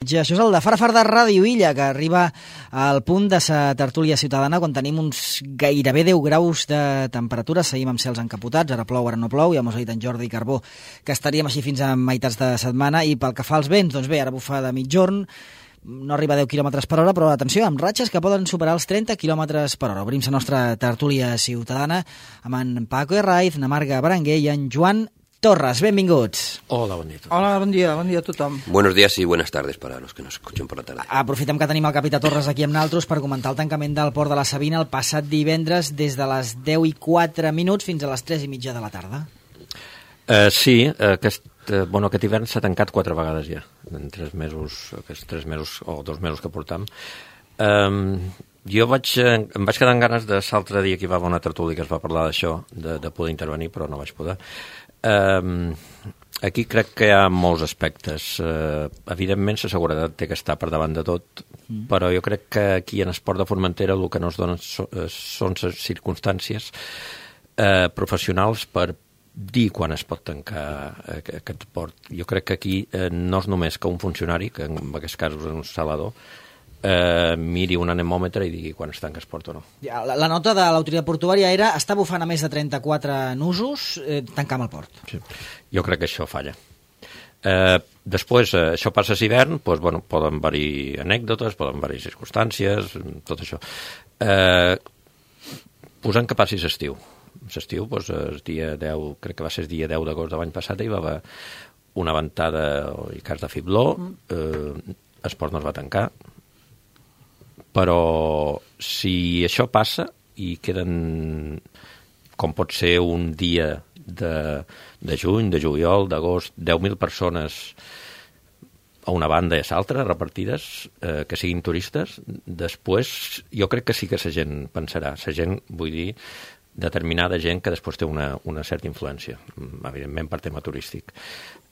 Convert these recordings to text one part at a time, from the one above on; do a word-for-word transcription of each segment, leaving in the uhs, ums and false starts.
Ja, això és el de Fara Far de Ràdio Illa, que arriba al punt de sa tertúlia ciutadana quan tenim uns gairebé deu graus de temperatura. Seguim amb cels encapotats, ara plou, ara no plou. Ja mos ha dit en Jordi Carbó que estaríem així fins a meitats de setmana. I pel que fa als vents, doncs bé, ara bufa de mitjorn, no arriba a deu quilòmetres per hora, però atenció, amb ratxes que poden superar els trenta quilòmetres per hora. Obrim la nostra tertúlia ciutadana amb en Paco Herraiz, na Marga Berenguer i en Joan Torres, benvinguts. Hola, bon dia a tothom. Hola, bon dia, bon dia a tothom. Buenos días y buenas tardes para los que nos escuchen por la tarde. Aprofitem que tenim el capità Torres aquí amb naltros per comentar el tancament del port de la Sabina el passat divendres des de les deu i quatre minuts fins a les tres i mitja de la tarda. Uh, sí, aquest, uh, bueno, aquest hivern s'ha tancat quatre vegades ja, en tres mesos, aquests tres mesos o dos mesos que portam. Um, jo vaig, em vaig quedar amb ganes de l'altre dia que hi va haver una tertúlia que es va parlar d'això, de, de poder intervenir, però no vaig poder. Um, aquí crec que hi ha molts aspectes. Uh, evidentment la seguretat té que estar per davant de tot, mm. però jo crec que aquí en esport de Formentera el que no es donen so, són les circumstàncies uh, professionals per dir quan es pot tancar aquest port. Jo crec que aquí uh, no és només que un funcionari, que en aquest cas és un salador, Eh, miri un anemòmetre i digui quan es tanca el port o no. Ja, la, la nota de l'autoritat portuària era està bufant a més de trenta-quatre nusos, eh, tancam el port. Sí. Jo crec que això falla. Eh, després, eh, això passa a l'hivern, doncs, bueno, poden haver-hi anècdotes, poden haver-hi circumstàncies, tot això. Eh, posant que passi l'estiu. L'estiu, doncs, el dia deu, crec que va ser el dia deu d'agost de l'any passat, hi va haver una ventada i cas de fibló, eh, el port no es va tancar, però si això passa i queden, com pot ser un dia de, de juny, de juliol, d'agost, deu mil persones a una banda i a l'altra repartides, eh, que siguin turistes, després jo crec que sí que la gent pensarà, la gent, vull dir, determinada gent que després té una, una certa influència, evidentment per tema turístic.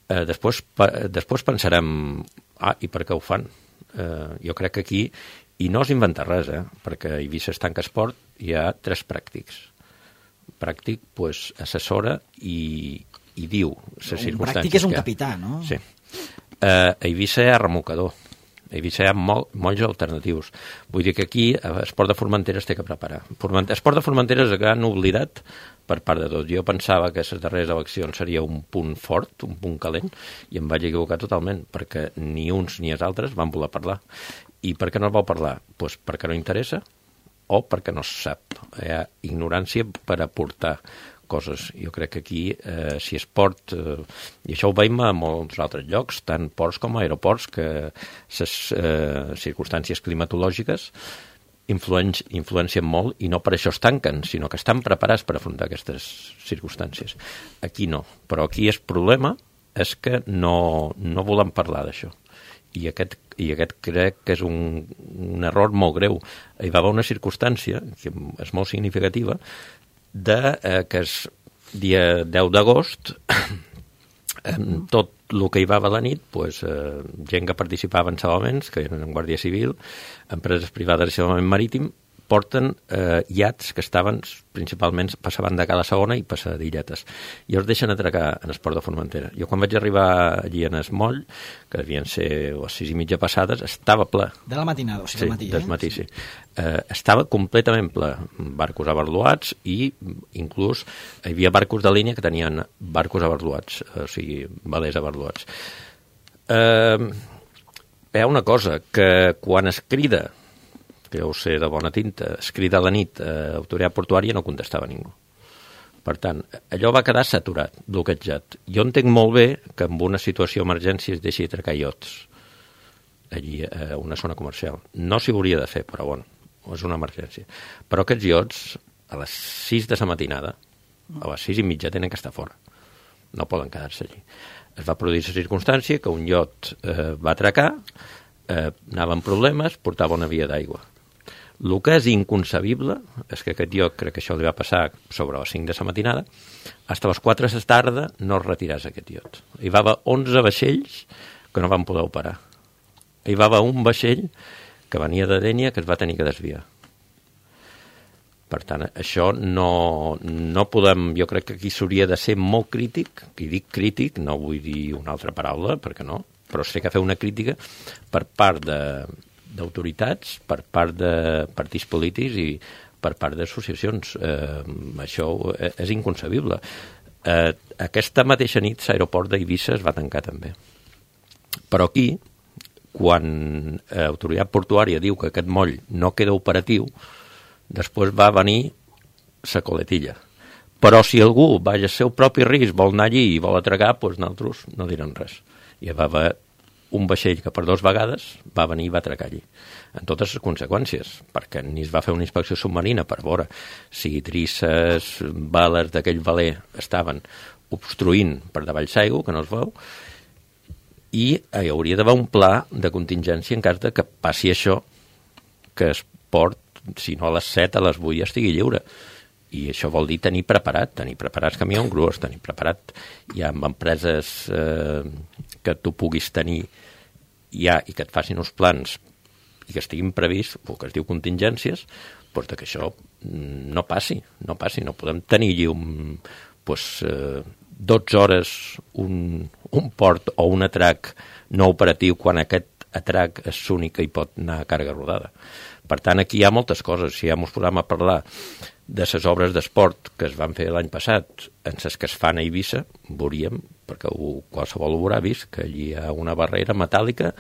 Eh, després, pa, després pensarem, ah, i per què ho fan? Eh, jo crec que aquí, i no es inventa res, eh? Perquè a Eivissa es tanca esport, hi ha tres pràctics. Pràctic, doncs, assessora i, i diu les circumstàncies. Un pràctic és un capità, no? Sí. Eh, a Eivissa hi ha remolcador. A Eivissa hi ha mol, molts alternatius. Vull dir que aquí esport de Formentera es té que preparar. Esport de Formentera és el gran oblidat per part de tot. Jo pensava que les darreres eleccions seria un punt fort, un punt calent, i em vaig equivocar totalment, perquè ni uns ni els altres van voler parlar. I per què no es vol parlar? Pues perquè no interessa o perquè no se sap. Hi ha ignorància per aportar coses. Jo crec que aquí, eh, si es port, eh, i això ho veiem a molts altres llocs, tant ports com aeroports, que les eh, circumstàncies climatològiques influen, influencien molt i no per això es tanquen, sinó que estan preparats per afrontar aquestes circumstàncies. Aquí no. Però aquí el problema és que no, no volem parlar d'això. I aquest, i aquest crec que és un, un error molt greu. Hi va haver una circumstància, que és molt significativa, de eh, que és dia deu d'agost, tot el que hi va haver a la nit, pues, eh, gent que participava en salvaments, que eren en Guàrdia Civil, empreses privades de salvament marítim, porten eh, iats que estaven principalment passaven de cada segona i passadilletes. I els deixen atracar en esport de Formentera. Jo quan vaig arribar allí en es moll, que devien ser les sis i mitja passades, estava ple. De la matinada, o sigui, sí, del matí. Del eh? matí, sí. Eh, estava completament ple. Barcos abarluats i inclús hi havia barcos de línia que tenien barcos abarluats, o sigui, velers abarluats. Eh, hi ha una cosa, que quan es crida, que ho sé de bona tinta, es crida a la nit a autoritat portuària, no contestava ningú. Per tant, allò va quedar saturat, bloquejat. Jo entenc molt bé que en una situació d'emergència es deixi atracar iots allí a una zona comercial. No s'hi hauria de fer, però bueno, és una emergència. Però aquests iots, a les sis de la matinada, a les sis i mitja tenen que estar fora. No poden quedar-se allí. Es va produir la circumstància que un iot eh, va atracar, eh, anava amb problemes, portava una via d'aigua. El que és inconcebible és que aquest iot, crec que això li va passar sobre les cinc de la matinada, fins a les quatre de la tarda no es retiràs aquest iot. Hi va haver onze vaixells que no van poder operar. Hi va haver un vaixell que venia de Dénia que es va tenir que desviar. Per tant, això no, no podem... Jo crec que aquí s'hauria de ser molt crític, i dic crític, no vull dir una altra paraula, perquè no, però s'ha de fer una crítica per part d'autoritats, per part de partits polítics i per part d'associacions. Eh, això és inconcebible. Eh, aquesta mateixa nit l'aeroport d'Eivissa es va tancar també. Però aquí, quan l'autoritat portuària diu que aquest moll no queda operatiu, després va venir la coletilla. Però si algú va al seu propi risc, vol anar allí i vol atracar, doncs nosaltres no direm res. Hi va haver un vaixell que per dues vegades va venir i va atracar allí, en totes les conseqüències, perquè ni es va fer una inspecció submarina per veure si trisses, bales d'aquell veler estaven obstruint per davall l'aigua, que no es veu, i hi hauria d'haver un pla de contingència en cas de que passi això, que es port, si no a les set, a les vuit ja estigui lliure. I això vol dir tenir preparat, tenir preparats camions grues, tenir preparat ja amb empreses eh, que tu puguis tenir ja i que et facin uns plans i que estiguin prevists, el que es diu contingències, doncs que això no passi, no passi, no podem tenir allí un, doncs, eh, dotze hores un, un port o un atrac no operatiu quan aquest atrac és l'únic que hi pot anar a càrrega rodada. Per tant, aquí hi ha moltes coses. Si ja ens posem a parlar de les obres d'esport que es van fer l'any passat en les que es fan a Eivissa, veuríem, perquè ho, qualsevol ho haurà vist, que allí hi ha una barrera metàl·lica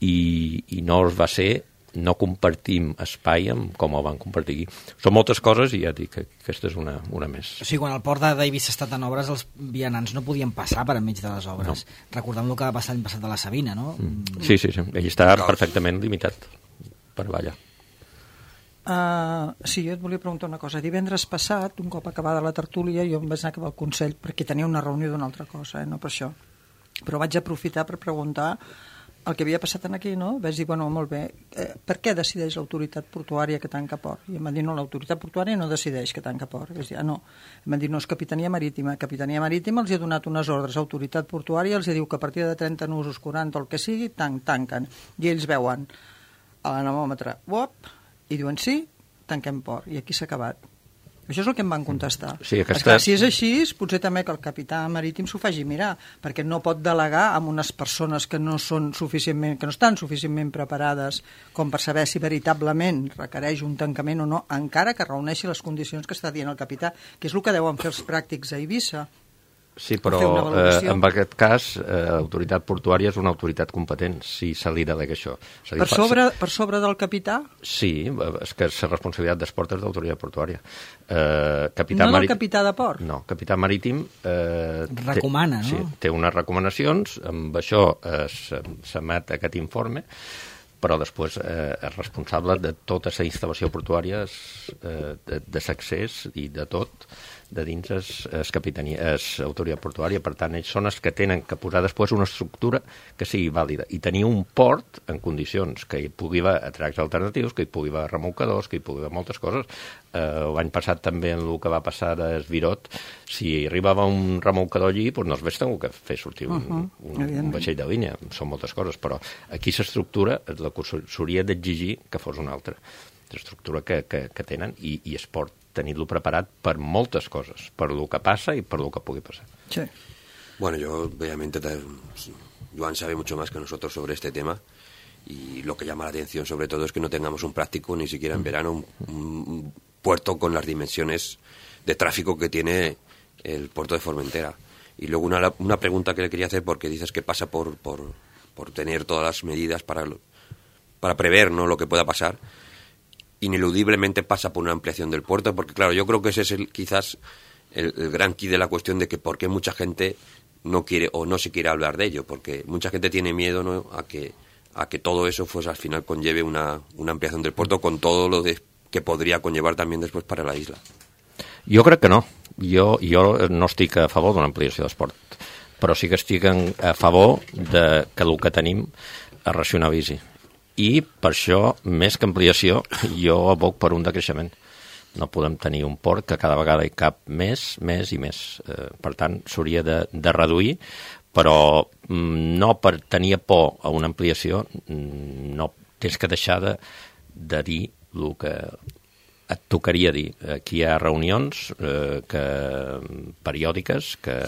i, i no es va ser, no compartim espai amb com ho van compartir aquí. Són moltes coses i ja dic que aquesta és una, una més. O sigui, quan el port d'Eivissa ha estat en obres, els vianants no podien passar per enmig de les obres. No. Recordem el que va passar l'any passat a la Sabina, no? Mm. Sí, sí, sí. Ell està perfectament limitat per ballar. Uh, sí, jo et volia preguntar una cosa. Divendres passat, un cop acabada la tertúlia, jo em vaig anar cap al Consell perquè tenia una reunió d'una altra cosa, eh? No per això. Però vaig aprofitar per preguntar el que havia passat aquí, no? Vaig dir, bueno, molt bé, eh, per què decideix l'autoritat portuària que tanca port? I em van dir, no, l'autoritat portuària no decideix que tanca port. Vaig dir, ah, no. Em van dir, no, és Capitania Marítima. Capitania Marítima els ha donat unes ordres. Autoritat portuària els diu que a partir de trenta nusos, quaranta o el que sigui, tan, tanquen. I ells veuen a l'anemòmetre, uop, i diuen sí, tanquem port, i aquí s'ha acabat. Això és el que em van contestar. Sí, aquesta... Esclar, si és així, potser també que el capità marítim s'ho faci mirar, perquè no pot delegar amb unes persones que no són suficientment, que no estan suficientment preparades com per saber si veritablement requereix un tancament o no, encara que reuneixi les condicions que està dient el capità, que és el que deuen fer els pràctics a Eivissa. Sí, però eh, en aquest cas eh, l'autoritat portuària és una autoritat competent, si se li delega això. És a dir, per, sobre, per sobre del capità? Sí, és que la responsabilitat d'esport és d'autoritat portuària. Eh, capità no marítim... del capità de port? No, capità marítim... Eh, recomana, té, no? Sí, té unes recomanacions, amb això eh, s'emet aquest informe, però després eh, és responsable de tota la instal·lació portuària, eh, de, de l'accés i de tot, de dins és, és capitania, és autoritat portuària. Per tant, ells són els que tenen que posar després una estructura que sigui vàlida i tenir un port en condicions que hi pugui haver atracs alternatius, que hi pugui haver remolcadors, que hi pugui haver moltes coses. Eh, l'any passat també en el que va passar a Esvirot, si arribava un remolcador allí, doncs no es veig que fer sortir un, uh -huh, un, un vaixell de línia. Són moltes coses, però aquí l'estructura és la que s'hauria d'exigir que fos una altra. L'estructura que, que, que tenen i, i es pot tenir-lo preparat per moltes coses, per lo que passa i per lo que pugui passar. Sí. Bueno, yo obviamente Joan sabe mucho más que nosotros sobre este tema y lo que llama la atención sobre todo es que no tengamos un práctico ni siquiera en verano un, un puerto con las dimensiones de tráfico que tiene el puerto de Formentera. Y luego una, una pregunta que le quería hacer, porque dices que pasa por, por, por tener todas las medidas para, para prever, ¿no?, lo que pueda pasar. Ineludiblemente pasa por una ampliación del puerto, porque claro, yo creo que ese es el, quizás el, el gran quid de la cuestión de que por qué mucha gente no quiere o no se quiere hablar de ello, porque mucha gente tiene miedo, ¿no?, a que a que todo eso pues al final conlleve una, una ampliación del puerto con todo lo de, que podría conllevar también después para la isla. Jo crec que no. Jo, jo no estic a favor d'una ampliació d'esport, però sí que estic a favor de que el que tenim es racionalitzi. I per això, més que ampliació, jo aboc per un decreixement. No podem tenir un port que cada vegada hi cap més, més i més. Eh, per tant, s'hauria de, de reduir, però mm, no per tenir por a una ampliació, mm, no tens que deixar de, de dir el que et tocaria dir. Aquí hi ha reunions eh, que, periòdiques que,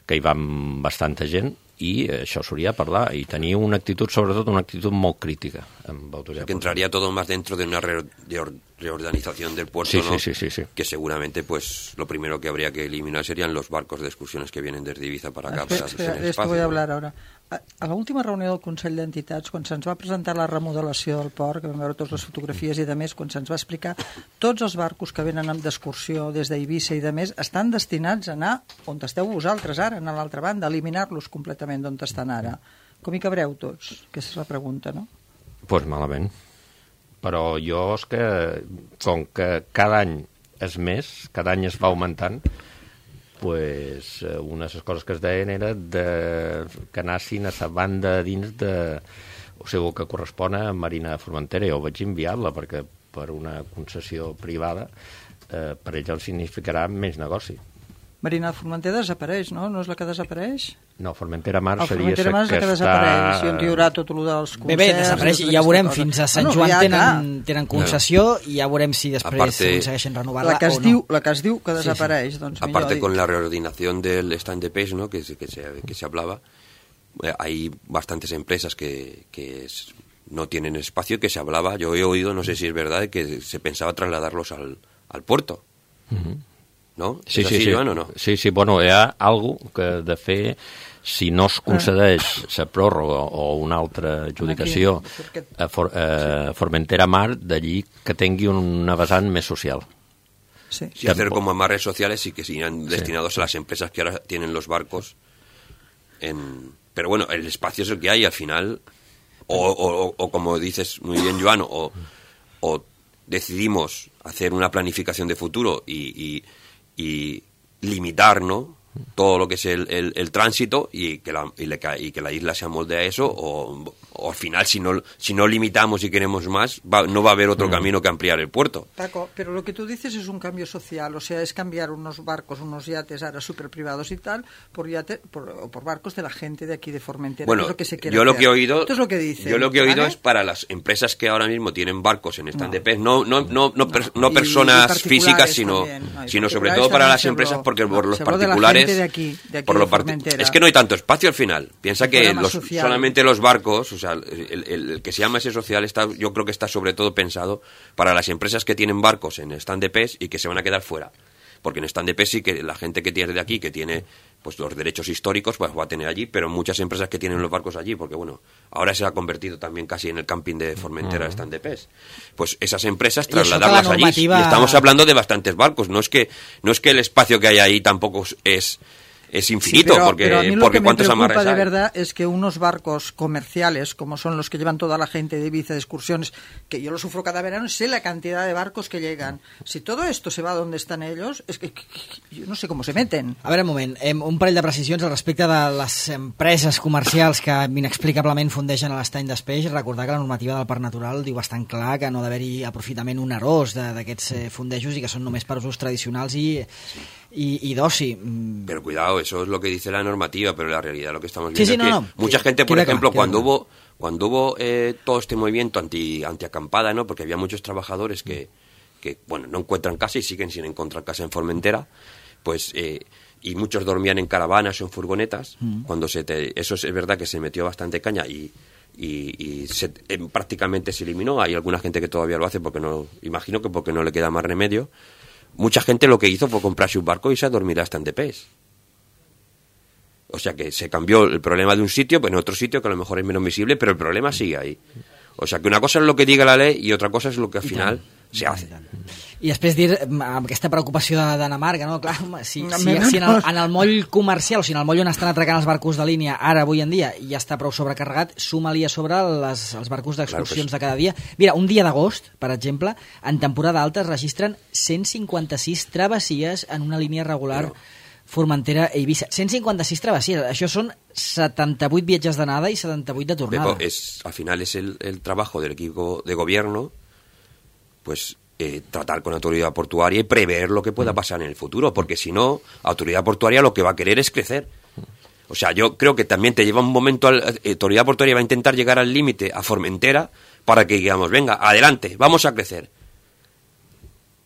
que hi van bastanta gent i això s'hauria de parlar i tenir una actitud, sobretot una actitud molt crítica amb autoritat. Que entraría todo más dentro de una re de reorganización del puerto, sí, ¿no? Sí, sí, sí, sí. Que seguramente pues lo primero que habría que eliminar serían los barcos de excursiones que vienen desde Ibiza para acá. Espera, para espera, hacer de esto espacio, voy a ¿no? hablar ahora. A, a l'última reunió del Consell d'Entitats, quan se'ns va presentar la remodelació del port, que vam veure totes les fotografies i de més, quan se'ns va explicar, tots els barcos que venen d'excursió des d'Eivissa i de més estan destinats a anar on esteu vosaltres ara, a l'altra banda, eliminar-los completament d'on estan ara. Com hi cabreu tots? Aquesta és la pregunta, no? Doncs pues malament. Però jo és que, com que cada any és més, cada any es va augmentant, pues, una de les coses que es deien era de, que anassin a la banda dins de... O sigui, que correspon a Marina de Formentera. Jo vaig enviar-la perquè per una concessió privada eh, per ella el significarà menys negoci. Marina de Formentera desapareix, no? No és la que desapareix? No, Formentera Mar el seria Formentera Mar és la que desapareix, i on hi haurà tot el dels concerts... Bé, bé, desapareix, i ja veurem, fins a Sant Joan ja, tenen, tenen concessió, no. I ja veurem si després Aparte, aconsegueixen renovar-la la que es o no. Diu, la que es diu que desapareix, sí, sí. Doncs aparte millor con la reordenación del stand de pes, ¿no? que, que, se, que se hablaba, eh, hay bastantes empresas que, que es, no tienen espacio, que se hablaba, yo he oído, no sé si es verdad, que se pensaba trasladarlos al, al puerto. Uh-huh. ¿No? Sí, ¿Es sí, así, sí. Joan, o no? Sí, sí, bueno, hi ha algo que de fer, si no es concedeix la pròrroga o una altra adjudicació a, For, a Formentera Mar, d'allí que tingui una vessant més social. Sí. Sí, hacer como amarres sociales y que sean destinados sí. a las empresas que ahora tienen los barcos. En... Pero bueno, el espacio es el que hay al final, o, o, o como dices muy bien, Joan, o, o decidimos hacer una planificación de futuro y... y y limitar, ¿no?, todo lo que es el, el, el tránsito y que, la, y, le, y que la isla se amolde a eso, o, o al final si no, si no limitamos y queremos más, va, no va a haber otro mm. camino que ampliar el puerto. Paco, pero lo que tú dices es un cambio social, o sea, es cambiar unos barcos, unos yates ahora super privados y tal, por, yate, por, por barcos de la gente de aquí de Formentera. Bueno, es lo que se quiere yo lo hacer. que he oído, esto es lo que dicen, yo lo que he oído ¿vale? es para las empresas que ahora mismo tienen barcos en stand no. de pez, no, no, no, no, no, per, no y, personas y físicas, sino, no, sino sobre todo para las empresas, porque por los particulares, de de aquí, de aquí por de los part... es que no hay tanto espacio al final. Piensa que los, solamente los barcos, o sea, el, el, el que se llama ese social, está, yo creo que está sobre todo pensado para las empresas que tienen barcos en stand de pez y que se van a quedar fuera. Porque en stand de pez sí que la gente que tiene de aquí, que tiene pues los derechos históricos, pues va a tener allí, pero muchas empresas que tienen los barcos allí, porque bueno, ahora se ha convertido también casi en el camping de Formentera uh-huh. stand de pez. Pues esas empresas trasladarlas normativa... allí. Y estamos hablando de bastantes barcos, no es que no es que el espacio que hay ahí tampoco es es infinito, sí, pero, porque, pero a mí lo porque que cuántos me amarres preocupa de hay. verdad es que unos barcos comerciales, como son los que llevan toda la gente de Ibiza de excursiones, que yo lo sufro cada verano, sé la cantidad de barcos que llegan. Si todo esto se va donde están ellos, es que, que, que yo no sé cómo se meten. A veure, un moment, un parell de precisions al respecte de les empreses comercials que inexplicablement fundeixen a l'estany d'Espeix. Recordar que la normativa del Parc Natural diu bastant clar que no ha d'haver-hi aprofitament onerós d'aquests fondejos i que són només per usos tradicionals i, i, i d'oci. Pero cuidado, eso es lo que dice la normativa, pero la realidad lo que estamos viendo sí, sí, es no, que no, mucha que, gente, por ejemplo, claro, cuando hubo cuando hubo eh, todo este movimiento anti antiacampada, ¿no? Porque había muchos trabajadores que, que bueno, no encuentran casa y siguen sin encontrar casa en Formentera, pues eh, y muchos dormían en caravanas o en furgonetas. Mm. Cuando se te, eso es verdad que se metió bastante caña y y, y se, eh, prácticamente se eliminó. Hay alguna gente que todavía lo hace porque no, imagino que porque no le queda más remedio. Mucha gente lo que hizo fue comprarse un barco y se a dormir hasta en de pez. O sea que se cambió el problema de un sitio, pues en otro sitio que a lo mejor es menos visible, pero el problema sigue ahí. O sea que una cosa es lo que diga la ley y otra cosa es lo que al final se hace. I després dir, amb aquesta preocupació d'Anna Marga, no? Clar, si, si, si en, el, en el moll comercial, o sigui, en el moll on estan atracant els barcos de línia ara, avui en dia, ja està prou sobrecarregat, suma-li a sobre les, els barcos d'excursions de cada dia. Mira, un dia d'agost, per exemple, en temporada alta es registren cent cinquanta-sis travessies en una línia regular Però... Formentera-Eivissa. cent cinquanta-sis travessies, això són setanta-vuit viatges d'anada i setanta-vuit de tornada. Pepo, es, al final es el, el trabajo del equipo de gobierno, pues eh, tratar con la autoridad portuaria y prever lo que pueda pasar en el futuro, porque si no, la autoridad portuaria lo que va a querer es crecer. O sea, yo creo que también te lleva un momento, la autoridad portuaria va a intentar llegar al límite a Formentera para que digamos, venga, adelante, vamos a crecer.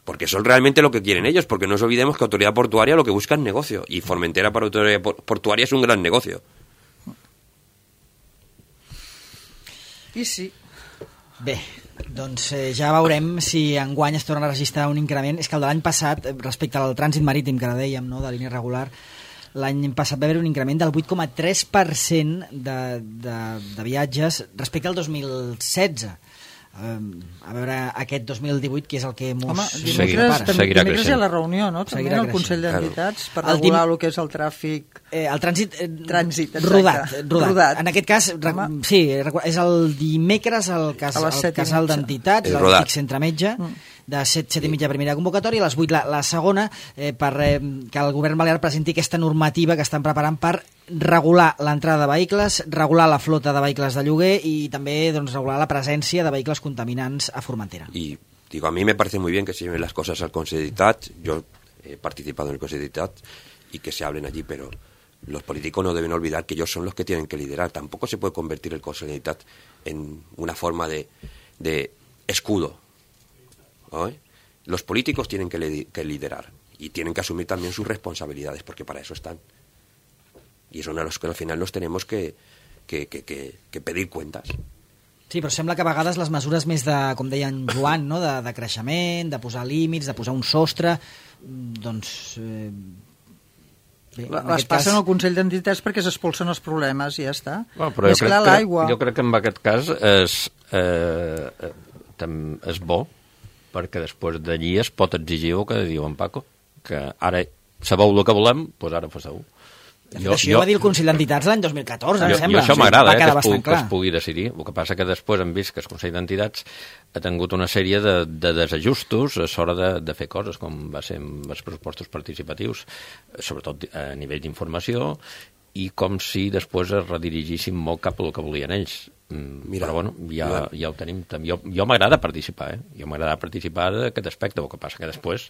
Porque eso es realmente lo que quieren ellos, porque no nos olvidemos que autoridad portuaria lo que busca es negocio, y Formentera para autoridad portuaria es un gran negocio. I sí. Bé, doncs eh, ja veurem si enguany es torna a registrar un increment. És que el de l'any passat, respecte al trànsit marítim, que ara dèiem, no?, de línia regular, l'any passat va haver un increment del vuit coma tres per cent de, de, de viatges respecte al dos mil setze. Um, a veure aquest dos mil divuit, que és el que mos Home, seguirà, dimecres, seguirà dimecres hi ha creixent. la reunió, no? També Seguirà el Consell creixent. d'Entitats per El regular dim- el que és el tràfic. Eh, el trànsit, eh, Trànsit, exacte. rodat, rodat. Rodat. En aquest cas, re, Home. sí, recu- és el dimecres el, cas, A les el set i casal mitja. d'entitats, El el rodat. T I C Centre Metge, Mm. de set, set i mitja primera convocatòria, a les vuit la, la segona, eh, per eh, que el govern balear presenti aquesta normativa que estan preparant per regular l'entrada de vehicles, regular la flota de vehicles de lloguer i també doncs, regular la presència de vehicles contaminants a Formentera. Y digo, a mí me parece muy bien que se lleven las cosas al Consejo de Etats. Yo he participado en el Consejo de Etats y que se hablen allí, pero los políticos no deben olvidar que ellos son los que tienen que liderar. Tampoco se puede convertir el Consejo de Etats en una forma de, de escudo, ¿no? Los políticos tienen que, li- que liderar y tienen que asumir también sus responsabilidades, porque para eso están. Y son a los que al final nos tenemos que, que, que, que, que pedir cuentas. Sí, però sembla que a vegades les mesures més de, com deia en Joan, no? de, de creixement, de posar límits, de posar un sostre, doncs... Eh, bé, en Les aquest passen cas- al Consell d'Entitats perquè s'expulsen els problemes i ja està. Bueno, però Més jo clar, crec, l'aigua. que, jo crec que en aquest cas és, eh, eh, tam- és bo, perquè després d'allí es pot exigir el que diu en Paco, que ara sabeu el que volem, doncs ara passeu. De fet, això ho va dir el Consell d'Entitats l'any dos mil catorze, jo, em sembla. jo això O sigui, m'agrada, va eh, que, quedar es pugui, bastant que clar. es pugui decidir. El que passa que després hem vist que el Consell d'Entitats ha tingut una sèrie de, de desajustos a l'hora de, de fer coses, com va ser amb els pressupostos participatius, sobretot a nivell d'informació, i com si després es redirigissin molt cap al que volien ells. Mm, Mira, però bueno, ja, Joan. ja ho tenim. Jo, jo m'agrada participar, eh? Jo m'agrada participar d'aquest aspecte, el que passa que després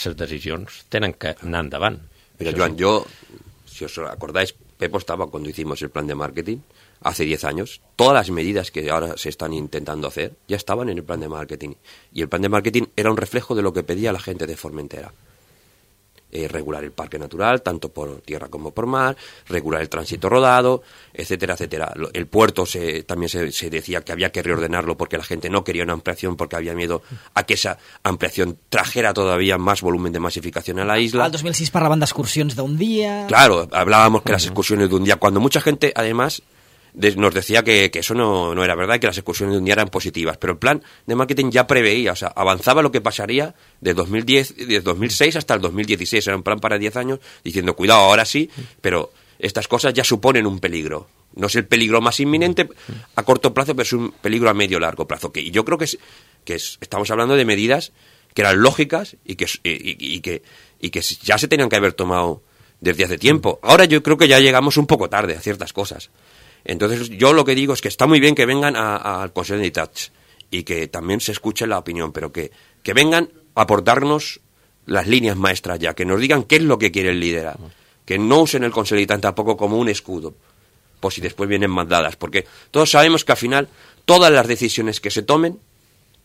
les decisions tenen que anar endavant. Mira, Això Joan, sí. yo, si os acordáis, Pepo estaba cuando hicimos el plan de marketing, hace diez años. Todas las medidas que ahora se están intentando hacer ya estaban en el plan de marketing. Y el plan de marketing era un reflejo de lo que pedía la gente de Formentera. Eh, regular el parque natural, tanto por tierra como por mar, regular el tránsito rodado, etcétera, etcétera. Lo- El puerto se, también se, se decía que había que reordenarlo porque la gente no quería una ampliación, porque había miedo a que esa ampliación trajera todavía más volumen de masificación a la isla. Al dos mil sis parlaven d'excursions d'un dia... Claro, hablábamos que las excursiones de un día, cuando mucha gente, además, de- nos decía que, que eso no, no era verdad y que las excursiones de un día eran positivas, pero el plan de marketing ya preveía, o sea, avanzaba lo que pasaría de dos mil diez, de dos mil seis hasta el dos mil dieciséis, era un plan para diez años, diciendo, cuidado, ahora sí, pero estas cosas ya suponen un peligro. No es el peligro más inminente a corto plazo, pero es un peligro a medio largo plazo. Que, y yo creo que, es, que es- estamos hablando de medidas que eran lógicas y que, y, y- y que, y que ya se tenían que haber tomado desde hace tiempo. Ahora yo creo que ya llegamos un poco tarde a ciertas cosas. Entonces yo lo que digo es que está muy bien que vengan a- a- al Consejo de Etats y que también se escuche la opinión, pero que, que vengan a aportarnos las líneas maestras ya, que nos digan qué es lo que quieren liderar, que no usen el Consejo de Etats tampoco como un escudo, por si después vienen mandadas, porque todos sabemos que al final todas las decisiones que se tomen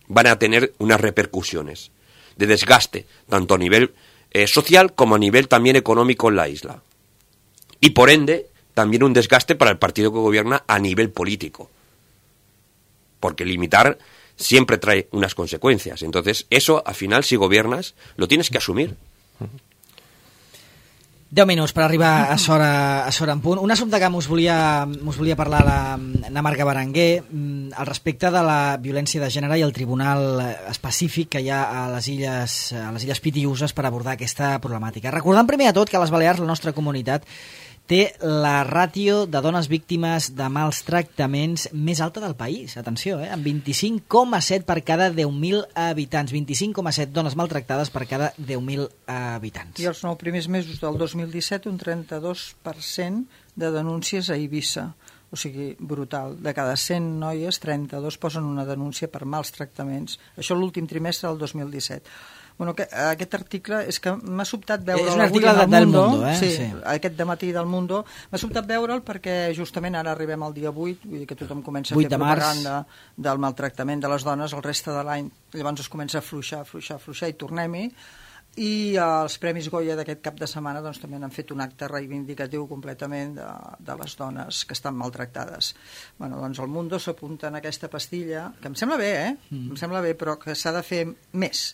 van a tener unas repercusiones de desgaste, tanto a nivel eh, social como a nivel también económico en la isla. Y por ende, también un desgaste para el partido que gobierna a nivel político. Porque limitar siempre trae unas consecuencias. Entonces, eso, al final, si gobiernas, lo tienes que asumir. deu minuts per arribar a Sora, a Sora en punt. Un assumpte que us volia, us volia parlar la, la Marga Berenguer mm, al respecte de la violència de gènere i el tribunal específic que hi ha a les illes, a les illes Pitiüses per abordar aquesta problemàtica. Recordant primer de tot que a les Balears la nostra comunitat té la ràtio de dones víctimes de mals tractaments més alta del país. Atenció, eh? Amb vint-i-cinc coma set per cada deu mil habitants. vint-i-cinc coma set dones maltractades per cada deu mil habitants. I els nou primers mesos del dos mil disset un trenta-dos per cent de denúncies a Eivissa. O sigui, brutal. De cada cent noies, trenta-dos posen una denúncia per mals tractaments. Això l'últim trimestre del dos mil disset. Bueno, que, aquest article és que m'ha sobtat veure... És un article de, del Mundo, eh? Sí, sí. aquest dematí del Mundo. M'ha sobtat veure'l perquè justament ara arribem al dia vuit, vull dir que tothom comença a fer propaganda del maltractament de les dones el reste de l'any. Llavors es comença a fluixar, fluixar, fluixar i tornem-hi. I els Premis Goya d'aquest cap de setmana doncs, també han fet un acte reivindicatiu completament de, de les dones que estan maltractades. Bueno, doncs el Mundo s'apunta en aquesta pastilla, que em sembla bé, eh? Mm. Em sembla bé, però que s'ha de fer més.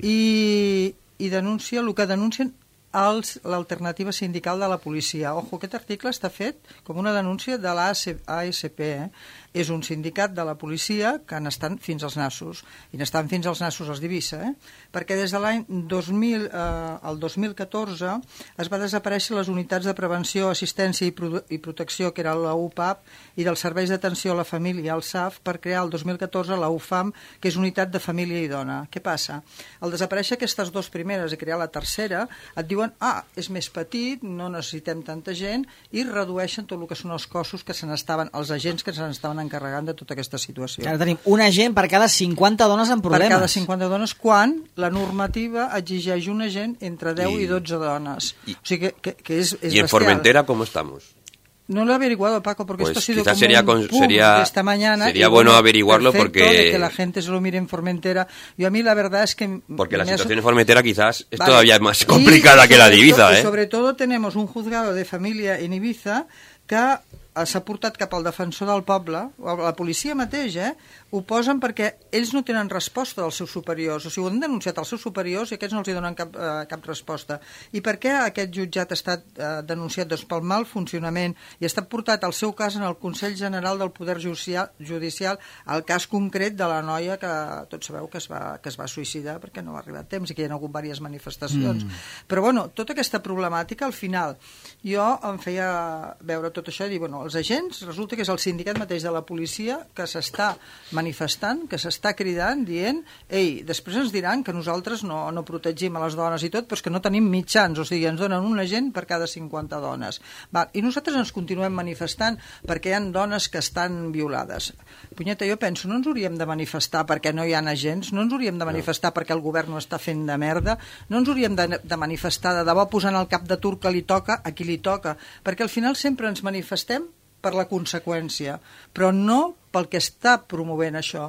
I, i denuncia el que denuncien l'alternativa sindical de la policia. Ojo, aquest article està fet com una denúncia de l'A S P, eh? És un sindicat de la policia que n'estan fins als nassos, i n'estan fins als nassos els d'Eivissa, eh? Perquè des de l'any dos mil, eh, el dos mil catorze es va desaparèixer les unitats de prevenció, assistència i, pro i protecció, que era la U P A P, i dels serveis d'atenció a la família, el S A F, per crear el dos mil catorze la U F A M, que és Unitat de Família i Dona. Què passa? Al desaparèixer aquestes dues primeres i crear la tercera, et diuen, ah, és més petit, no necessitem tanta gent, i redueixen tot el que són els cossos que se n'estaven, els agents que se n'estaven encarregant de tota aquesta situació. Ara tenim un agent per cada cinquanta dones amb problemes. Per cada cinquanta dones, quan la normativa exigeix un agent entre deu i, i dotze dones. I, o sigui que, que, que és, és ¿Y en bestial. Formentera cómo estamos? No lo he averiguado, Paco, porque pues esto ha sido como sería, un pum sería, esta mañana. Sería bueno, bueno averiguarlo porque... De que la gente se lo mire en Formentera. Yo a mí la verdad es que... Porque la situación en Formentera quizás es vale. todavía más complicada y, que la de Ibiza, ¿eh? Y sobre todo tenemos un juzgado de familia en Ibiza que s'ha portat cap al defensor del poble, la policia mateix, eh? Ho posen perquè ells no tenen resposta dels seus superiors, o sigui, ho han denunciat als seus superiors i aquests no els hi donen cap, eh, cap resposta. I per què aquest jutjat ha estat eh, denunciat? Doncs pel mal funcionament, i ha estat portat el seu cas en el Consell General del Poder Judicial, judicial el cas concret de la noia que tots sabeu que es va, que es va suïcidar perquè no va arribar a temps i que hi ha hagut diverses manifestacions. Mm. Però bueno, tota aquesta problemàtica, al final, jo em feia veure tot això i dir, bueno, els agents, resulta que és el sindicat mateix de la policia que s'està manifestant, que s'està cridant, dient, ei, després ens diran que nosaltres no, no protegim a les dones i tot, però és que no tenim mitjans, o sigui, ens donen un agent per cada cinquanta dones. Val, i nosaltres ens continuem manifestant perquè hi ha dones que estan violades. Punyeta, jo penso, no ens hauríem de manifestar perquè no hi ha agents, no ens hauríem de manifestar perquè el govern no està fent de merda, no ens hauríem de, de manifestar de debò posant el cap de turc que li toca a qui li toca, perquè al final sempre ens manifestem per la conseqüència, però no pel que està promovent això,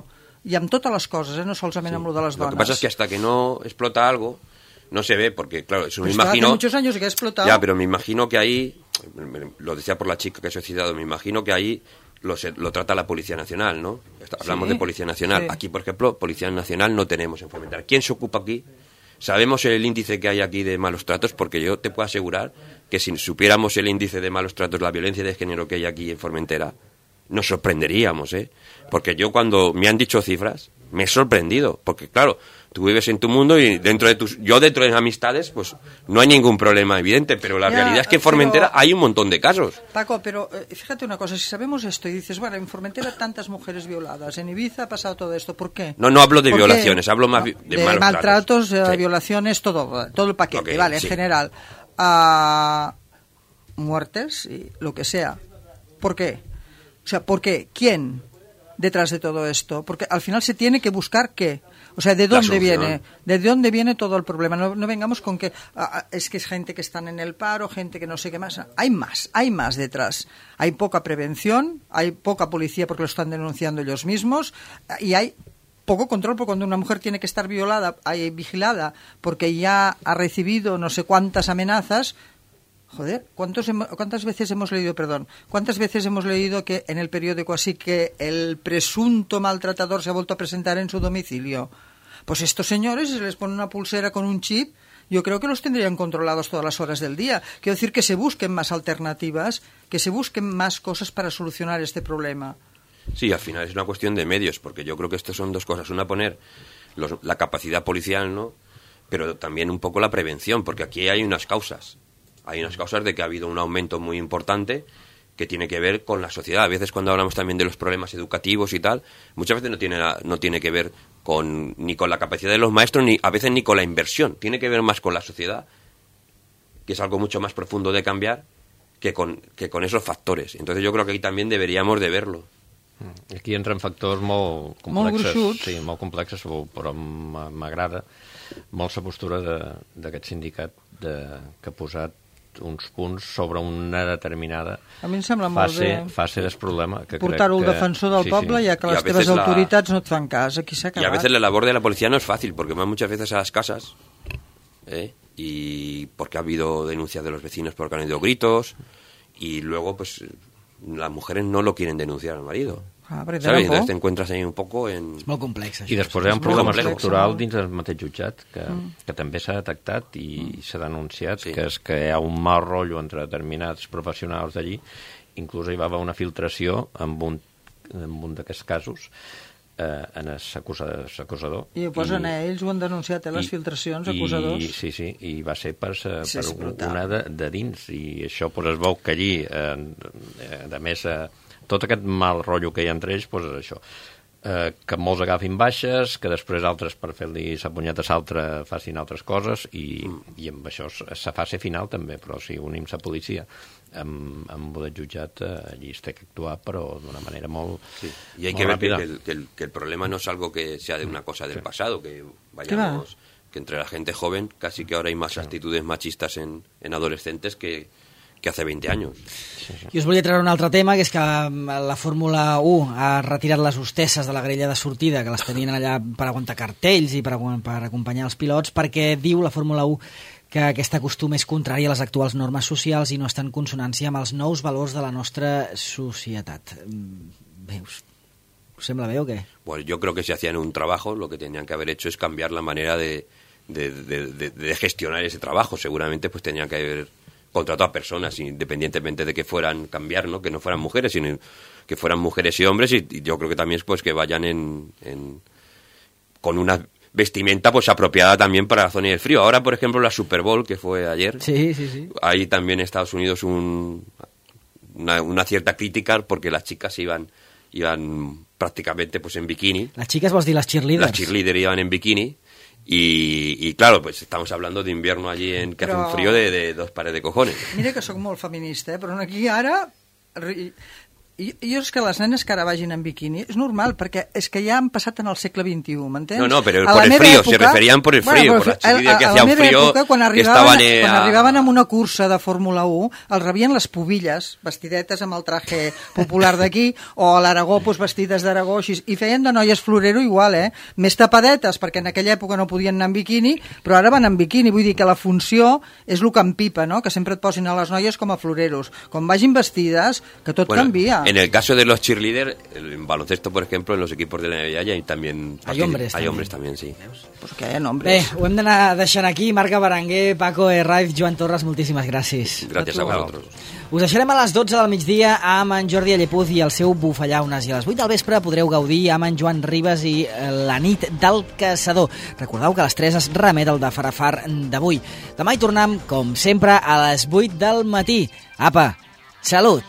i amb totes les coses, eh? No solament sí. amb lo de les dones. Lo que pasa es que hasta que no explota algo, no se ve, porque claro, eso me pues imagino... Hace muchos años que ha explotado. Ya, pero me imagino que ahí, lo decía por la chica que se ha citado, me imagino que ahí lo, se, lo trata la Policía Nacional, ¿no? Hablamos sí. de Policía Nacional. Sí. Aquí, por ejemplo, Policía Nacional no tenemos en Formentera. ¿Quién se ocupa aquí? Sabemos el índice que hay aquí de malos tratos, porque yo te puedo asegurar que si supiéramos el índice de malos tratos, la violencia de género que hay aquí en Formentera, nos sorprenderíamos, ¿eh? Porque yo cuando me han dicho cifras, me he sorprendido, porque claro, tú vives en tu mundo y dentro de tus, yo dentro de amistades, pues no hay ningún problema evidente, pero la ya, realidad es que en Formentera pero, hay un montón de casos. Paco, pero eh, fíjate una cosa, si sabemos esto y dices, bueno, en Formentera tantas mujeres violadas, en Ibiza ha pasado todo esto, ¿por qué? No, no hablo de violaciones, qué? hablo más no, de, de malos maltratos, tratos. Eh, sí. violaciones, todo, todo el paquete, okay, vale, sí. en general. Uh, muertes y lo que sea. ¿Por qué? O sea, ¿por qué? ¿Quién detrás de todo esto? Porque al final se tiene que buscar qué. O sea, ¿de dónde viene? ¿De dónde viene todo el problema? No, no vengamos con que ah, es que es gente que están en el paro, gente que no sé qué más. Hay más, hay más detrás. Hay poca prevención, hay poca policía porque lo están denunciando ellos mismos y hay poco control, porque cuando una mujer tiene que estar violada, hay vigilada, porque ya ha recibido no sé cuántas amenazas. Joder, ¿cuántos hemos, ¿cuántas veces hemos leído, perdón, cuántas veces hemos leído que en el periódico así que el presunto maltratador se ha vuelto a presentar en su domicilio? Pues estos señores, si se les pone una pulsera con un chip, yo creo que los tendrían controlados todas las horas del día. Quiero decir que se busquen más alternativas, que se busquen más cosas para solucionar este problema. Sí, al final es una cuestión de medios, porque yo creo que esto son dos cosas. Una, poner los, la capacidad policial, ¿no? Pero también un poco la prevención, porque aquí hay unas causas. Hay unas causas de que ha habido un aumento muy importante que tiene que ver con la sociedad. A veces cuando hablamos también de los problemas educativos y tal, muchas veces no tiene, no tiene que ver con, ni con la capacidad de los maestros, ni a veces ni con la inversión. Tiene que ver más con la sociedad, que es algo mucho más profundo de cambiar que con, que con esos factors. Entonces yo creo que aquí también deberíamos de verlo. Aquí entren factors molt complexes, molt sí, molt complexes, però m'agrada molt la postura d'aquest sindicat de, que ha posat uns punts sobre una determinada a mi em sembla fase, molt bé fase del problema. Portar-ho al defensor del sí, poble, sí. ja que les teves autoritats la... no et fan cas, aquí s'ha acabat. Y a veces la labor de la policía no es fácil, porque van muchas veces a las casas ¿eh? Y porque ha habido denuncias de los vecinos porque han habido gritos, y luego pues las mujeres no lo quieren denunciar al marido. Ah, perquè ¿Sabes? tenen por. Entonces te encuentras ahí un poco en... És molt complex, això. I després hi ha un És problema molt complex, estructural molt. dins del mateix jutjat que, Mm. que també s'ha detectat i Mm. s'ha denunciat, Sí. que és que hi ha un mal rotllo entre determinats professionals d'allí. Inclús hi va haver una filtració amb un, amb un d'aquests casos eh, en l'acusador. I ho posen a ells, ho han denunciat, eh, les i- filtracions, i- acusadors. Sí, sí, i va ser per, sa- Sí, per és brutal. una de, de dins, i això pues, es veu que allí, eh, eh, a més, eh, tot aquest mal rotllo que hi ha entre ells, pues, és això. Eh, que molts agafin baixes, que després altres per fer-li sa punyeta a l'altre facin altres coses, i, mm. i amb això és la fase final també, però si unim la policia amb, amb el jutjat, eh, allí es té que actuar, però d'una manera molt, Sí. Y hay molt que ver que, ràpida. que el, que, el, que el problema no es algo que sea de una cosa del pasado, que vayamos, que entre la gente joven casi que ahora hay más actitudes machistas en, en adolescentes que, que hace veinte años. I us volia treure un altre tema, que és que la Fórmula un ha retirat les hostesses de la grella de sortida, que les tenien allà per aguantar cartells i per, agu- per acompanyar els pilots, perquè diu la Fórmula un que aquest costum és contrari a les actuals normes socials i no està en consonància amb els nous valors de la nostra societat. Mm, Veus? Us sembla bé o què? Bueno, yo creo que si hacían un trabajo, lo que tenían que haber hecho es cambiar la manera de, de, de, de, de gestionar ese trabajo. Seguramente pues tenían que haber contratado a personas, independientemente de que fueran cambiar, ¿no? Que no fueran mujeres, sino que fueran mujeres y hombres, y, y yo creo que también pues que vayan en, en con una vestimenta pues apropiada también para la zona del frío. Ahora, por ejemplo, la Super Bowl, que fue ayer, Sí, sí, sí. hay también en Estados Unidos un, una, una cierta crítica porque las chicas iban iban prácticamente pues en bikini. Les xiques vols dir les cheerleaders? Las cheerleaders iban en bikini. Y, y claro, pues estamos hablando de invierno allí en que Però- hace un frío de, de dos pares de cojones. Mira que sóc molt feminista, eh? Però aquí ara... ri- I, jo és que les nenes que ara vagin en biquini és normal, perquè és que ja han passat en el segle vint-i-u, m'entens? No, no, pero A por la el meva frío, se referían por el frío, por la chiquilla que a- a hacía la un meva frío, època, quan arribaven, estaban, eh, quan a- arribaven a una cursa de Fórmula un, els rebien les pubilles, vestidetes amb el traje popular d'aquí, o a l'Aragó, doncs, vestides d'Aragó, així, i feien de noies florero igual, eh? Més tapadetes, perquè en aquella època no podien anar en biquini, però ara van en biquini, vull dir que la funció és el que empipa, no? Que sempre et posin a les noies com a floreros. Com vagin vestides, que tot Bueno, canvia. en el caso de los cheerleaders, en baloncesto, por ejemplo, en los equipos de la N B A ya hay también... Hay hombres Hay también. hombres también, sí. Pues que hi ha Bé, nombres. ho hem d'anar deixant aquí. Marca Berenguer, Paco Herraiz, Joan Torres, moltíssimes gràcies. Gracias a vosotros. Us deixarem a les dotze del migdia amb en Jordi Allepuz i el seu Bufallaunes, i a les vuit del vespre podreu gaudir amb en Joan Ribas i eh, la nit del caçador. Recordeu que a les tres es remet el de Farafar d'avui. Demà hi tornem, com sempre, a les vuit del matí. Apa, salut!